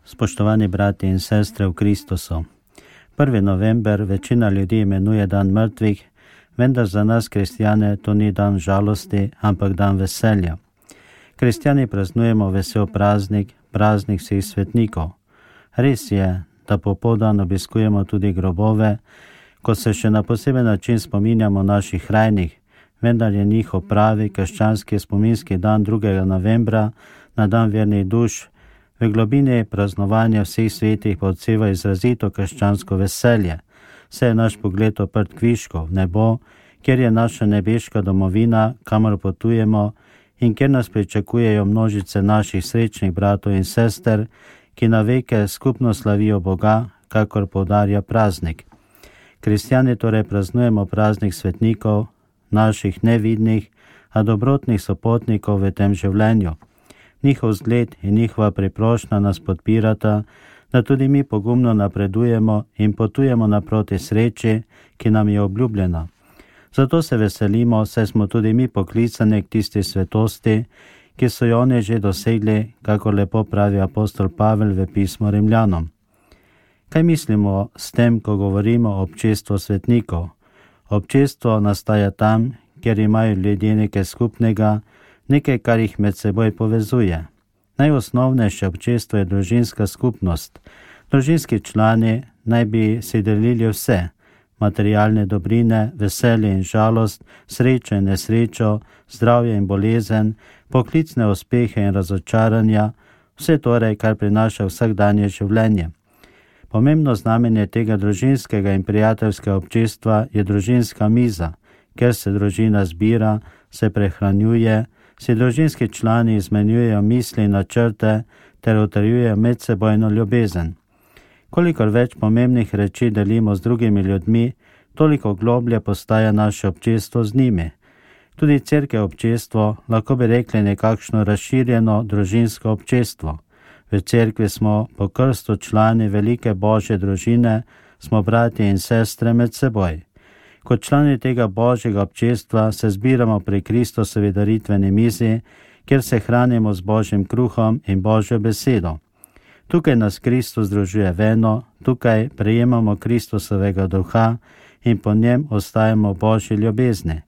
Spoštovani brati in sestre v Kristusu. 1. november večina ljudi imenuje dan mrtvih, vendar za nas kristjane to ni dan žalosti, ampak dan veselja. Kristjani praznujemo vesel praznik, praznik vseh svetnikov. Res je, da popoldan obiskujemo tudi grobove, ko se še na poseben način spominjamo naših rajnih, vendar je njihov pravi krščanski spominski dan 2. novembra na dan vernih duš, v globini praznovanja vseh svetih pa odseva izrazito krščansko veselje. Saj je naš pogled oprt kviško v nebo, kjer je naša nebeška domovina, kamor potujemo in kjer nas pričakujejo množice naših srečnih bratov in sester, ki na veke skupno slavijo Boga, kakor poudarja praznik. Kristjani torej praznujemo praznik svetnikov, naših nevidnih, a dobrotnih sopotnikov v tem življenju. Njihov zgled in njihova priprošnja nas podpirata, da tudi mi pogumno napredujemo in potujemo naproti sreči, ki nam je obljubljena. Zato se veselimo, saj smo tudi mi poklicani k tisti svetosti, ki so jo oni že dosegli, kako lepo pravi apostol Pavel v pismu Rimljanom. Kaj mislimo s tem, ko govorimo o občestvu svetnikov? Občestvo nastaja tam, kjer imajo ljudje nekaj skupnega, nekaj, kar jih med seboj povezuje. Najosnovnejše občestvo je družinska skupnost. Družinski člani naj bi si delili vse, materialne dobrine, veselje in žalost, srečo in nesrečo, zdravje in bolezen, poklicne uspehe in razočaranja, vse torej, kar prinaša vsakdanje življenje. Pomembno znamenje tega družinskega in prijateljskega občestva je družinska miza, ker se družina zbira, se prehranjuje, si družinski člani izmenjujejo misli in načrte ter utrjujejo medsebojno ljubezen. Kolikor več pomembnih reči delimo z drugimi ljudmi, toliko globlje postaja naše občestvo z njimi. Tudi cerkev občestvo, lahko bi rekli nekakšno razširjeno družinsko občestvo. V cerkvi smo po krstu člani velike Božje družine, smo bratje in sestre med seboj. Kot člani tega Božjega občestva se zbiramo pri Kristusovi daritveni mizi, kjer se hranimo z Božjim kruhom in Božjo besedo. Tukaj nas Kristus združuje v eno, tukaj prejemamo Kristusovega duha in po njem ostajamo v Božji ljubezni.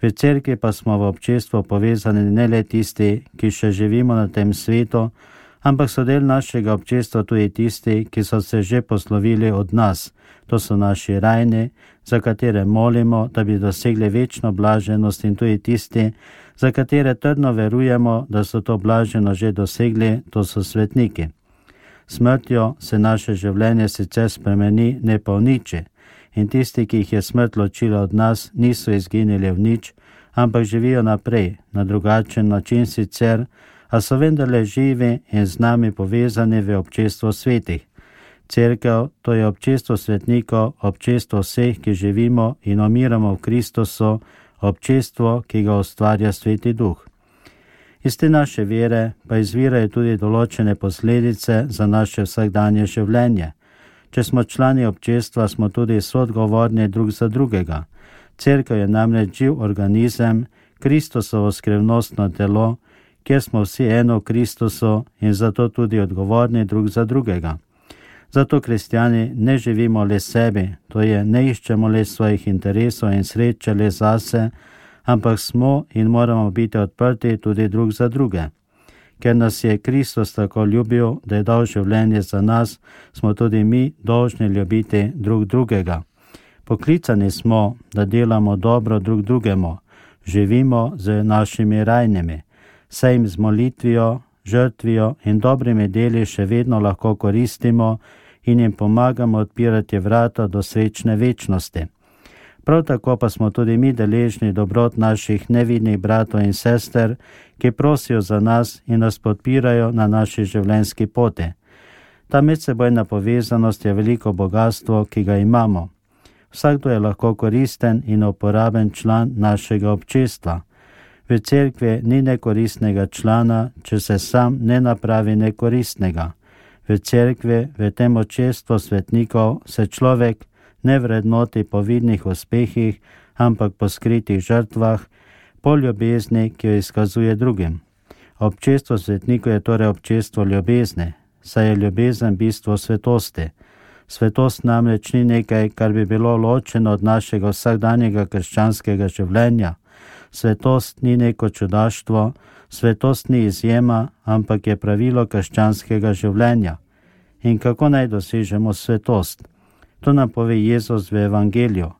V cerkvi pa smo v občestvu povezani ne le tisti, ki še živimo na tem svetu, ampak so del našega občestva tudi tisti, ki so se že poslovili od nas. To so naši rajni, za katere molimo, da bi dosegli večno blaženost, in tudi tisti, za katere trdno verujemo, da so to blaženo že dosegli, to so svetniki. Smrtjo se naše življenje sicer spremeni, ne pa v niči, in tisti, ki jih je smrt ločila od nas, niso izginili v nič, ampak živijo naprej, na drugačen način sicer, a so vendarle živi in z nami povezani v občestvo svetih. Cerkev, to je občestvo svetnikov, občestvo vseh, ki živimo in umiramo v Kristusu, občestvo, ki ga ustvarja Sveti Duh. Iz te naše vere pa izvirajo tudi določene posledice za naše vsakdanje življenje. Če smo člani občestva, smo tudi soodgovorni drug za drugega. Cerkev je namreč živ organizem, Kristusovo skrivnostno telo, kjer smo vsi eno v Kristusu in zato tudi odgovorni drug za drugega. Zato kristjani ne živimo le sebi, to je, ne iščemo le svojih interesov in sreče le zase, ampak smo in moramo biti odprti tudi drug za druge. Ker nas je Kristus tako ljubil, da je dal življenje za nas, smo tudi mi dolžni ljubiti drug drugega. Poklicani smo, da delamo dobro drug drugemu, živimo z našimi rajnimi, saj jim z molitvijo, žrtvijo in dobrimi deli še vedno lahko koristimo in jim pomagamo odpirati vrata do srečne večnosti. Prav tako pa smo tudi mi deležni dobrot naših nevidnih bratov in sester, ki prosijo za nas in nas podpirajo na naši življenjski poti. Ta medsebojna povezanost je veliko bogatstvo, ki ga imamo. Vsakdo je lahko koristen in uporaben član našega občestva. V cerkvi ni nekoristnega člana, če se sam ne napravi nekoristnega. V cerkvi, v tem občestvu svetnikov, se človek ne vrednoti po vidnih uspehih, ampak po skritih žrtvah, po ljubezni, ki jo izkazuje drugim. Občestvo svetnikov je torej občestvo ljubezni. saj je ljubezen bistvo svetosti. Svetost namreč ni nekaj, kar bi bilo ločeno od našega vsakdanjega krščanskega življenja. Svetost ni neko čudaštvo, svetost ni izjema, ampak je pravilo krščanskega življenja. In kako naj dosežemo svetost? To nam pove Jezus v Evangeliju.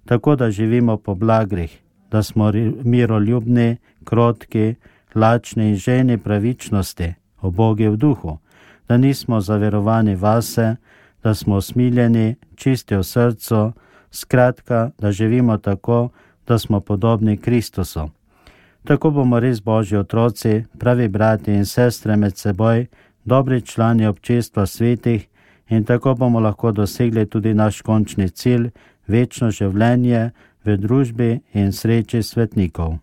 Tako da živimo po blagrih, da smo miroljubni, krotki, lačni in žejni pravičnosti, ubogi v duhu, da nismo zaverovani vase, da smo usmiljeni, čisti v srcu, skratka, da živimo tako, da smo podobni Kristusu. Tako bomo res Božji otroci, pravi brati in sestre med seboj, dobri člani občestva svetih, in tako bomo lahko dosegli tudi naš končni cilj, večno življenje v družbi in sreči svetnikov.